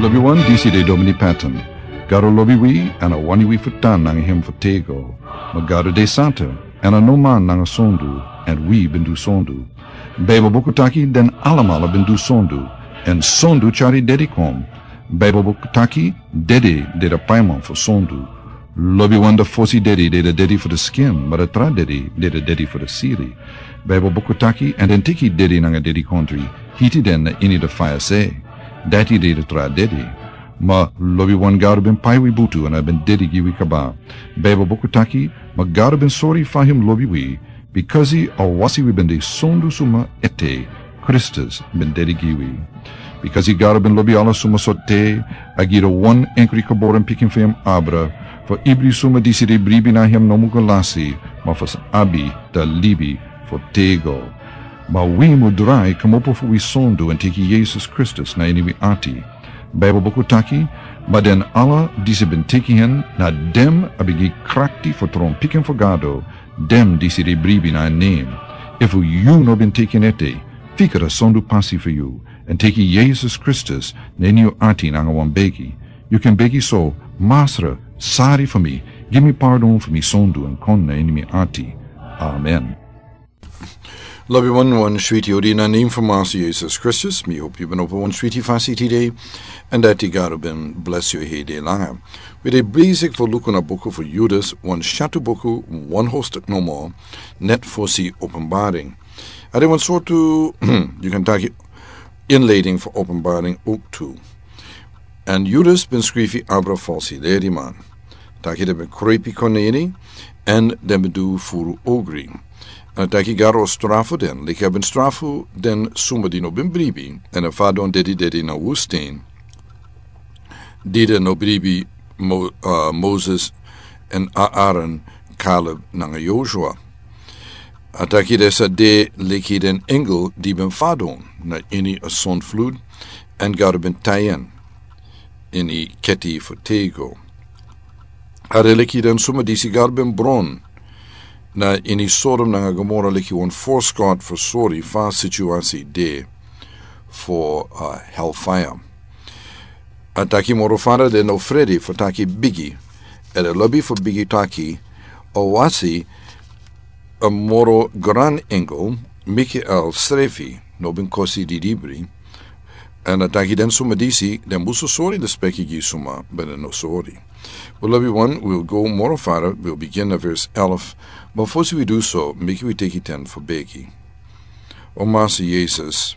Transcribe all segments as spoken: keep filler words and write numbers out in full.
Lobi wan, disi de Domini Patton. Gado lobi wi, èn a wani wi fu tan nanga hem fu tego. Ma Gado de santa, èn a no man nanga sondu, èn wi ben du sondu. Baibel buku taki den alamala ben du sondu, èn sondu tyari dedi kon. Baibel buku taki dedi de a paiman fu sondu. Lobi wan, a fosi dedi de a dedi fu a skin, ma a tra dedi de a dedi fu a siri. Baibel buku taki, èn den teki dedi nanga dedikondri, hiti den na ini a faya se. Dati de a tra dedi. Ma lobi wan, Gado ben pai wi butu èn a ben dedi gi wi kaba. Baibel buku taki, ma Gado ben sori fa hem lobi wi, bikasi a wasi wi ben de sondu suma ete, Kristus ben dedi gi wi. Bikasi Gado ben lobi ala suma sortu, a gi a wan enkri geboren pikin fu hem abra, fu ibri suma disi de bribi na hem no mu go lasi, ma fu abi a libi fu tego. Ma wi mu drai kmopo fu wi sondu èn teki Yesus Kristus na ini wi ati. Baibel buku taki, ma den ala disi ben teki hen, na den a ben gi krakti fu tron pikin fu Gado, den disi de bribi na en nen. Efu yu no ben teki en ete, fika a sondu pasi fu yu, èn teki Yesus Kristus na ini yu ati nanga wan begi. Yu kan begi so: Masra, sari fu mi, gi mi pardon fu mi sondu èn kon na ini mi ati. Amen. Lobi wan, wan switi odi na nen fu Masra Yesus Kristus, mi hopi yu ben opo wan switi fasi tide, èn dati Gado ben blesi yu heri langa. Wi de bezig fu luku na buku fu Judas, wan syatu buku, wan hoofdstuk nomo, net fosi Openbaring. A de wan sortu, yu kan taki, inleiding fu Openbaring ook tu. Èn Judas ben skrifi abra falsi leriman. Taki den ben krepi kon na ini, èn den ben du furu ogri. Èn taki Gado o strafu den, leki a ben strafu den suma di no ben bribi, èn a fadon dedi dedi na wustin. Di den no bribi Mo-, ah, Moses èn Aaron, Caleb nanga Joshua. A taki den sa de leki den engel di ben fadon na ini a zondvloed, èn Gado ben tai en ini keti fu tego. A de leki den suma disi Gado ben bron na ini Sodom nanga Gomora leki wan voorschot fu sori fa situasi de fu, ah, hellfire. A taki moro fara den no frede fu taki bigi. Èn den lobi fu bigi taki, a wasi a moro gran engel, Mikael srefi, no ben kosi didibri. Èn a taki den suma disi, den musu sori lespeki gi suma ben no sori. Wi lobi wan, wi o go moro fara, wi o bigin na vers elf, ma fosi wi du so, meki wi teki ten fu begi. O Masra Yesus,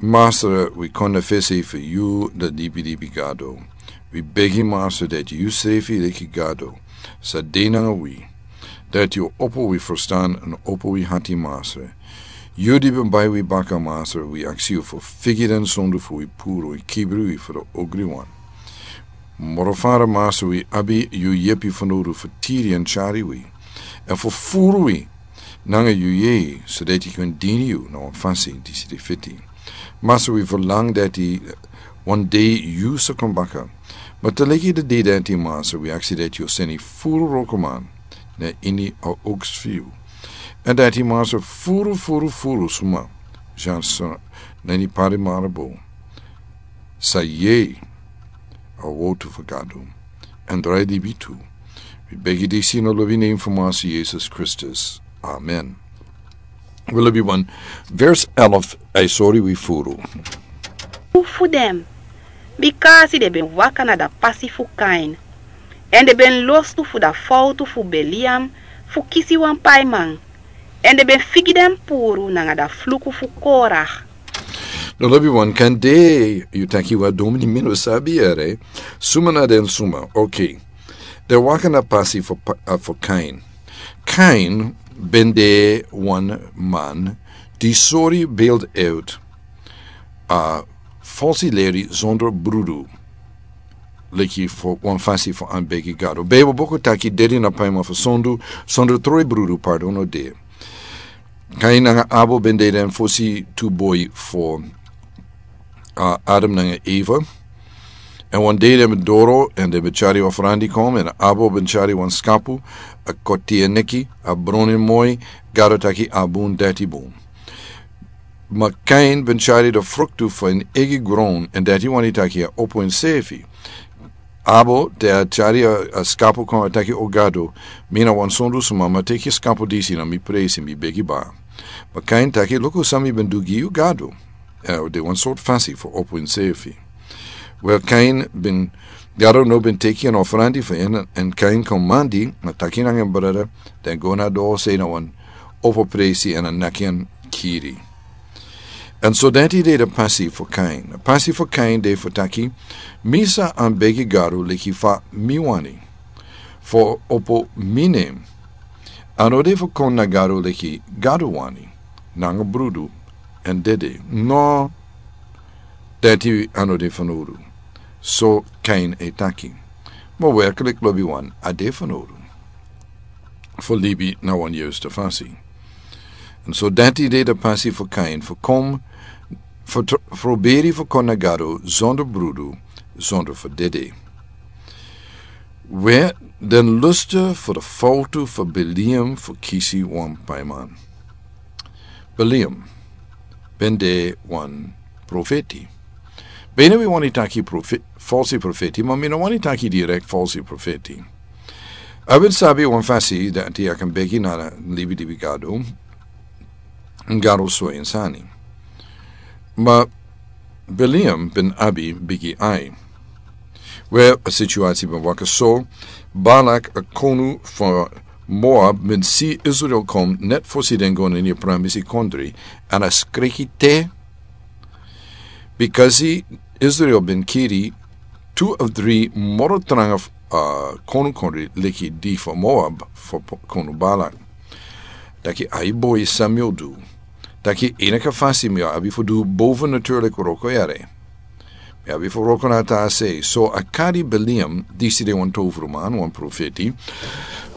Masra, wi kon na fesi fu yu, a dibidibi Gado. Wi begi, Masra, dati yu srefi leki Gado sa de nanga wi, dati yu o opo wi ferstan èn opo wi hati, Masra. Yu di ben bai wi baka, Masra, wi aksi yu fu figi den sondu fu wi puru èn kibri wi fu a ogriwan. Moro fara, Masra, wi abi yu yepi fanowdu fu tiri èn tyari wi, èn fu furu wi nanga yu yeye, sodati yu kan dini yu na wan fasi disi de fiti. Masra, wi ferlang dati wan dei yu sa kon baka. Ma te leki a dei dati, Masra, wi aksi dati yu o seni furu wrokoman na ini a oks fu yu. Èn dati, Masra, furu, furu, furu suma, jan so na ini pari marabo, sa yere a wowtu fu Gado èn drai libi tu. Wi begi disi na a lobi nen fu Masra Yesus Kristus. Amen. Wi lobi wan, vers elf, a e sori wi furu. Fu den, bikasi den ben waka na a pasi fu Kain, èn den ben lostu fu a fowtu fu Beliam fu kisi wan paiman, èn den ben figi den puru nanga a fluku fu Korah. No, lobi wan, kande yu taki: Wa, domini, mi no sabi yere. Suma na den suma? Oké. Den waka na a pasi fu pa-, ah, fu Kain. Kain ben de wan man di sori beeld uit, ah, falsi leri zonder brudu. Leki fu wan fasi fu anbegi Gado. Bijbel buku taki: Dedi na paiman fu sondu, sondu troi brudu pardon no de. Kain nanga Abel ben de den fosi tu boi fu, ah, Adam nanga Eva. Èn wan dei den ben doro, èn den ben tyari ofrandi kon, èn Abel ben tyari wan skapu, a koti en neki, a bron en moi, Gado taki a bun, dati bun. Ma Kain ben tyari de fruktu fu en eigi gron, èn dati wani taki a opo ensefi. Abel, te a tyari a, a skapu kon, a taki: O Gado, mi na wan sondu sma, ma teki a skapu disi na mi presi, mi begi baka. Ma Kain taki: Luku san mi ben du gi yu, Gado. Eh, de wan sortu fasi fu opo ensefi. Wel, Kain ben, Gado no ben teki an ofrandi fu en, èn Kain kon mandi, a taki nanga en brada, den go na doro, sei na wan opo presi, èn a naki en kiri. Èn so dati de de pasi fu Kain. Pasi fu Kain de fu taki: Mi sa begi Gado leki fa mi wani, fu opo mi nen. A no de fu kon na Gado leki Gado wani, nanga brudu èn dede. No, dati a no de fanowdu. So Kain e taki. Ma werklik, lobiwan, a de fanowdu fu libi na wan yustu fasi. Èn so dati de de pasi fu Kain, fu kon, fu tr-, fu begi fu kon na Gado sondu brudu, sondu fu dede. We, den lusta fu de fowtu fu Bileam fu kisi wan paiman. Bileam ben de wan profeti. Bene wi wani taki profe-, falsi profeti, ma mi no wani taki direkt falsi profeti. A ben sabi wan fasi dati a kan begi na libi, libi Gado, Gado sori en sani. Ma Bileam ben abi bigi ai. We, a situasi ben waka so: Balak, a konu fu Moab, ben si Israel kon net fosi den go na ini a pramisi kondre, èn a skreki te, bikasi Israel ben kiri tu of dri moro tranga, ah, konu kondre leki di fu Moab, fu po-, konu Balak. Taki: Ai boi, san mi o du? Taki: Enige fasi mi o abi fu du bovennatuurlik wroko yere. Mi abi fu wroko na a tra sei. So a kari Bileam, disi de wan tovruman, wan profeti.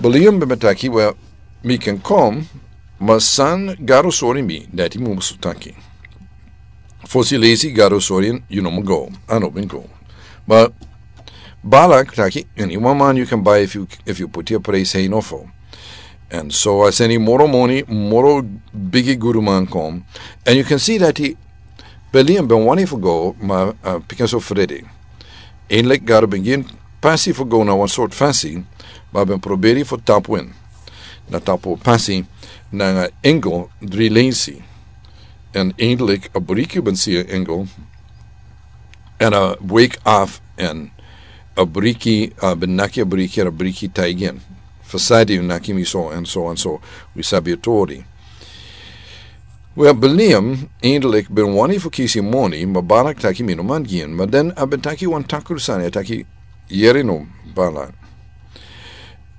Bileam ben taki: Wel, mi kan kon, ma san Gado sori mi, dati mi musu taki. Fosi leisi Gado sori en, yu no man go. A no ben go. Ma Balak taki: Eni wan man yu kan bai efu, efu yu poti a prijs hei nofo. Èn so a seni moro moni, moro bigi guduman kon. Èn yu kan si dati Bileam ben wani fu go, ma, ah, pikinso frede. Eindelijk Gado ben gi en pasi fu go na wan sortu fasi, ma ben proberi fu tapu en. Na tapu pasi nanga engel dri leisi. Èn eindelijk a briki ben si a engel. Èn a wake af èn a briki, a ben naki a briki, èn a briki taigi en: Fa san yu naki mi so èn so èn so? Wi sabi a tori. Wel, Bileam eindelijk ben wani fu kisi moni, ma Balak taki: Mi no man gi en. Ma den a ben taki wan takru sani, a taki: Yere no, Balak.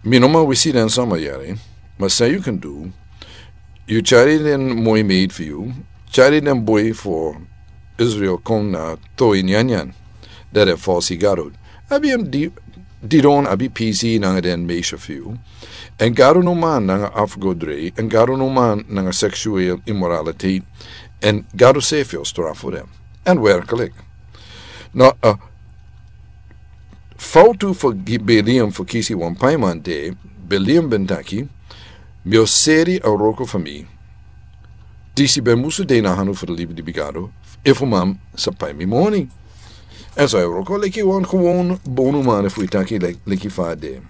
Mi no man wisi den sama yere, ma san yu kan du, yu tyari den moi meid fu yu, tyari den boi fu Israel kon na to'i nyanyan, dati a falsi gado. Abi en di-, didon, abi pisi nanga den meisje fu yu. Èn Gado no man nanga afgodrei, èn Gado no man nanga seksueel immoraliteit, èn Gado sefi o strafu den. Èn werkelijk. No, eh, fowtu fu gi-, Bileam fu kisi wan paiman de, Bileam ben taki: Mi o seri a wroko fu mi. Disi ben musu de na hanu fu de libi, libi Gado, efu man sa pai mi moni. Èn so a wroko leki wan gewoon bonuman, efu wi taki leki, leki fa a de.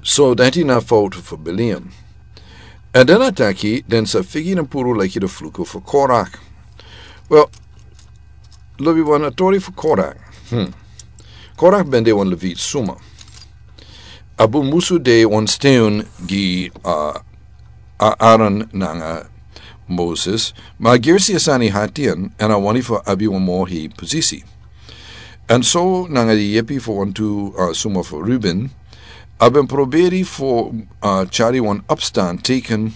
So dati na fowtu fu Bileam. Èn den a taki den sa figi den puru leki de fluku fu Korak. Wel, lobiwan, a tori fu Korak. Hmm. Korak ben de wan Levit suma. A ben musu de wan steun gi, ah, Aaron nanga Moses, ma a gersi a sani hati en, èn a wani fu abi wan moro hei posisi. Èn so nanga di yepi fu wantu, ah, suma fu Ruben, a ben proberi fu, ah, tyari wan opstand tegen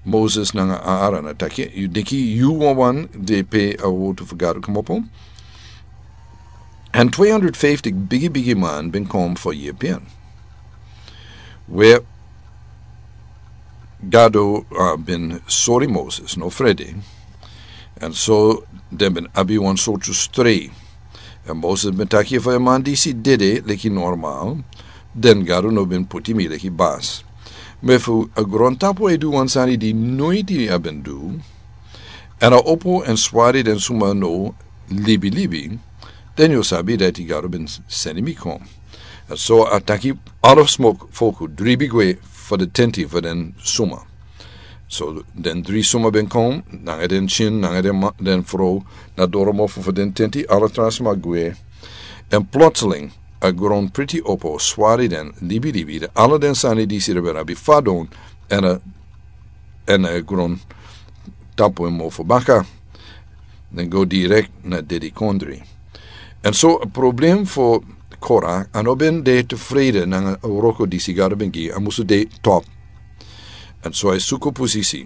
Moses nanga Aaron. A taki: Yu denki yu wawan de pe a wortu fu Gado komopo? Èn tweehonderdvijftig bigi, bigi man ben kon fu yepi en. We, Gado, ah, ben sori Moses, no frede. Èn so den ben abi wan sortu strei. Èn Moses ben taki: Efu a man disi dede leki normal, den Gado no ben poti mi leki basi. Ma efu a grontapu e du wan sani di noiti a ben du, èn a opo èn swari den suma no libilibi, den yu o sabi dati Gado ben seni mi kon. Èn so a taki ala sma folku dribi gwe fu den tenti fu den suma. So den dri suma ben kon nanga den kin nanga den ma-, den frow na doro mofu fu den tenti, ala tra sma gwe. Èn plotseling a gron priti opo swari den libilibi, den ala den sani disi den ben abi fadon èn a, èn a grontapu en mofu baka. Den go direkt na dedikondri. Èn so a problem fu Kora, a no ben de tefrede nanga a wroko disi Gado ben gi, a musu de top. Èn so a e suku posisi.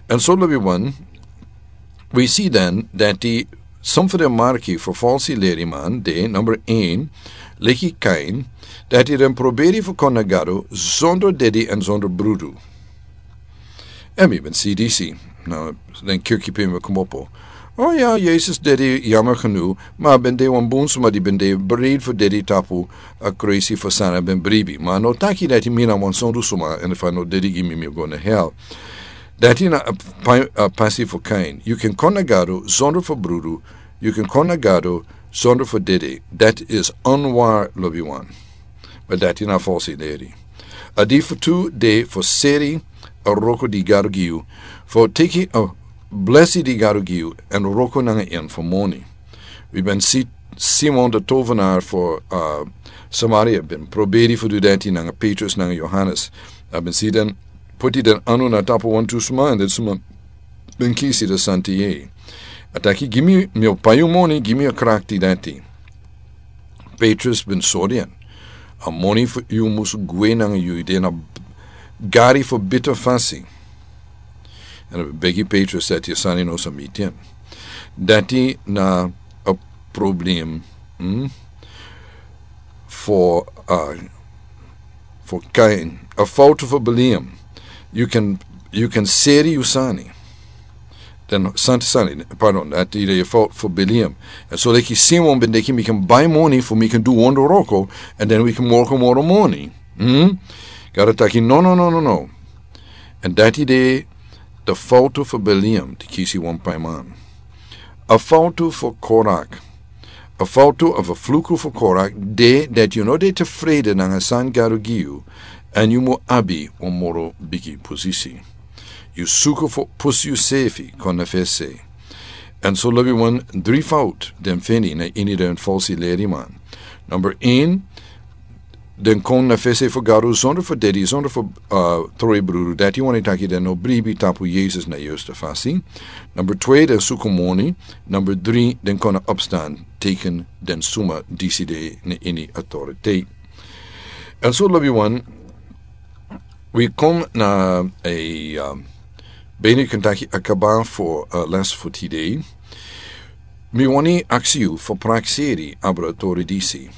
Èn so lobi wan, wi si dan dati son fu den marki fu falsi leriman de, number een, leki Kain, dati den proberi fu kon na Gado zonder dedi èn zonder brudu. Èn mi ben si disi na den kirki pe mi komopo. O ya, Yesus dedi, yammer genoeg, ma ben de wan bun suma di ben de bereid fu dedi tapu a crazy fu san a ben bribi. Ma a no taki dati mi na wan sondu suma, èn efu a no dedi gi mi, mi o go na hel. Dati na a pa-, a pasi fu Kain. Yu kan kon na Gado zonder fu brudu, yu kan kon na Gado zonder fu dedi. Dati is onwar, lobi wan. Ma dati na falsi leri. A di fu tu de fu seri a wroko di Gado gi yu, fu teki a blesi di Gado gi yu, èn wroko nanga en fu moni. Wi ben si Simon de tovenaar fu, uh, Samaria ben proberi fu du dati nanga Petrus nanga Johannes. A ben si den poti den anu na tapu wantu suma, èn den suma ben kisi den santa yeye. A taki, gi mi, mi o pai yu moni, gi mi a krakti dati. Petrus ben sori en. A moni fu yu mus gwe nanga yu, yu de na gari fu bita fasi. Èn a ben begi Petrus dati a sani no sa miti en. Dati na a problem, hmm? Fu, uh, fu Kain, a fowtu fu Biliam. Yu kan, yu kan seri yu sani. Den santa sani, pardon, dati de a fowtu fu Biliam. Èn so leki Simon ben denki mi kan bai moni fu mi kan du wonderwroko, èn den wi kan wroko moro moni. Hmm? Gado taki, no, no, no, no, no. Èn dati de a fowtu fu Biliam di kisi wan paiman. A fowtu fu Korak. A fowtu of a fluku fu Korak de dati yu no de tefrede nanga san Gado gi yu, èn yu mu abi wan moro bigi posisi. Yu suku fu pusu yusefi kon na fesi. Èn so lobi wan dri fowtu den feni na ini den falsi leriman. Number een, den kon na fesi fu Gado zonder fu dedi, zonder fu, uh, trowe brudu. Dati wani taki den no bribi tapu Yesus na yuste fasi. Number twee, den suku moni. Number dri, den kon na opstan teken den suma disi de na ini autoriteit. Èn so lobi wan, wi kon na a, um, beni kan taki a kaba fu, uh, les fu tide. Mi wani aksi yu fu prakseri abra tori disi.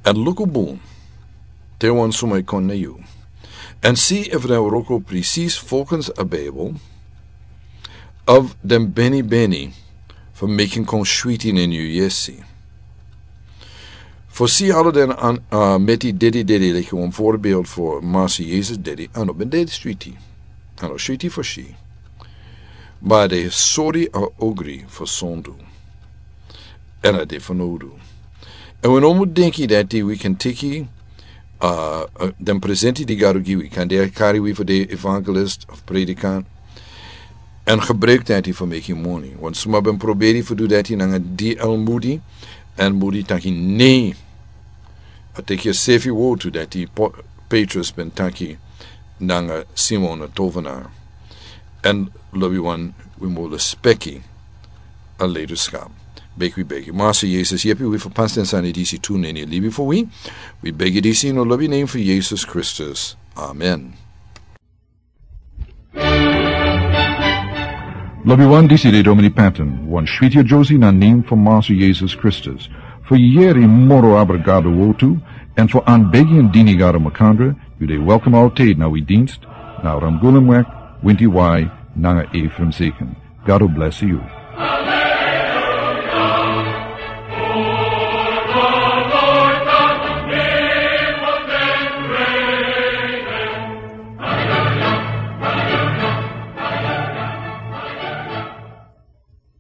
Èn luku bun te wan suma e kon na yu. Èn si efu den wroko presis volgens a Bijbel, of den beni beni fu meki en kon switi na yu yesi. Fu si ala den an, uh, meti dedi dedi, leki wan voorbeeld fu Masi Yesus dedi, a no ben dedi switi. A no switi fu si. Ma a de sori a ogri fu sondu. Èn a de fanowdu. Èn wi no mu denki dati wi kan teki, uh, uh, den presenti di Gado gi wi. Kande a kari wi fu de evangelist of predikant. Èn gebruik dati fu meki moni. Wan suma ben proberi fu du dati nanga D L Moody. Èn Moody taki nee. A teki a sefi wortu dati Po-, Petrus ben taki nanga Simon a tovenaar. Èn lobi wan, wi mu respeki a leiderschap. Begi wi begi. Masi Yesus, yepi wi fu pasi den sani disi tu na ini a libi fu wi. Wi begi disi na a lobi nen fu Yesus Kristus. Amen. Lobi wan, disi de Domini Patton, wan switi a Josie na nen fu Masi Yesus Kristus. Fu yeri moro abra Gado wortu, èn fu an begi èn dini Gado makandra, yu de welkom altijd na wi dienst, na Ramgulumweg, Winti Wai, nanga Ephraim Zeken. Gado bless yu.